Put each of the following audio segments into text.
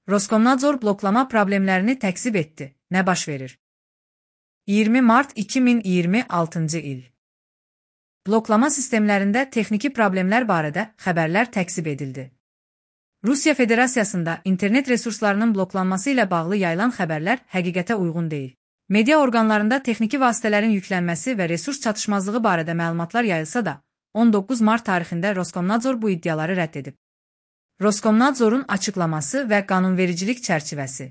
Roskomnadzor bloklama problemlərini təkzib etdi. Nə baş verir? 20 mart 2026 il. Bloklama sistemlərində texniki problemlər barədə xəbərlər təkzib edildi. Rusiya Federasiyasında internet resurslarının bloklanması ilə bağlı yayılan xəbərlər həqiqətə uyğun deyil. Media orqanlarında texniki vasitələrin yüklənməsi və resurs çatışmazlığı barədə məlumatlar yayılsa da, 19 mart tarixində Roskomnadzor bu iddiaları rədd edib. Roskomnadzorun açıqlaması və qanunvericilik çərçivəsi.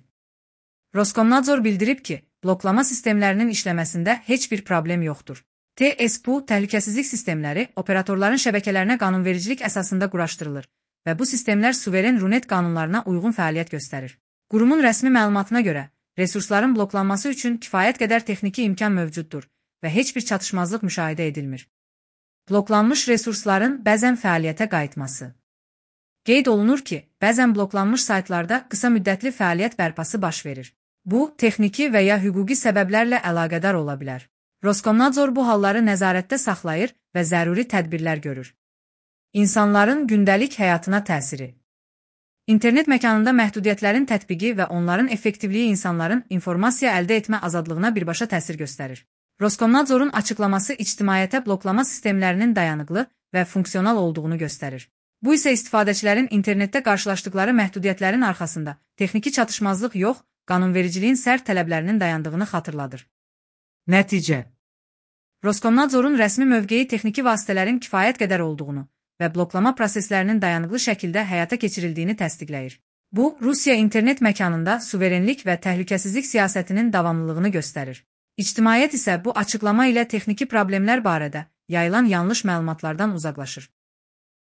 Roskomnadzor bildirib ki, bloklama sistemlərinin işləməsində heç bir problem yoxdur. TSPU təhlükəsizlik sistemləri operatorların şəbəkələrinə qanunvericilik əsasında quraşdırılır və bu sistemlər suveren runet qanunlarına uyğun fəaliyyət göstərir. Qurumun rəsmi məlumatına görə, resursların bloklanması üçün kifayət qədər texniki imkan mövcuddur və heç bir çatışmazlıq müşahidə edilmir. Bloklanmış resursların bəzən fəaliyyətə qayıtması. Qeyd olunur ki, bəzən bloklanmış saytlarda qısa müddətli fəaliyyət bərpası baş verir. Bu, texniki və ya hüquqi səbəblərlə əlaqədar ola bilər. Roskomnadzor bu halları nəzarətdə saxlayır və zəruri tədbirlər görür. İnsanların gündəlik həyatına təsiri. İnternet məkanında məhdudiyyətlərin tətbiqi və onların effektivliyi insanların informasiya əldə etmə azadlığına birbaşa təsir göstərir. Roskomnadzorun açıqlaması ictimaiyyətə bloklama sistemlərinin dayanıqlı və funksional olduğunu göstərir. Bu isə istifadəçilərin internetdə qarşılaşdıqları məhdudiyyətlərin arxasında texniki çatışmazlıq yox, qanunvericiliyin sərt tələblərinin dayandığını xatırladır. Nəticə. Roskomnadzorun rəsmi mövqeyi texniki vasitələrin kifayət qədər olduğunu və bloklama proseslərinin dayanıqlı şəkildə həyata keçirildiyini təsdiqləyir. Bu, Rusiya internet məkanında suverenlik və təhlükəsizlik siyasətinin davamlılığını göstərir. İctimaiyyət isə bu açıqlama ilə texniki problemlər barədə yayılan yanlış məlumatlardan uzaqlaşır.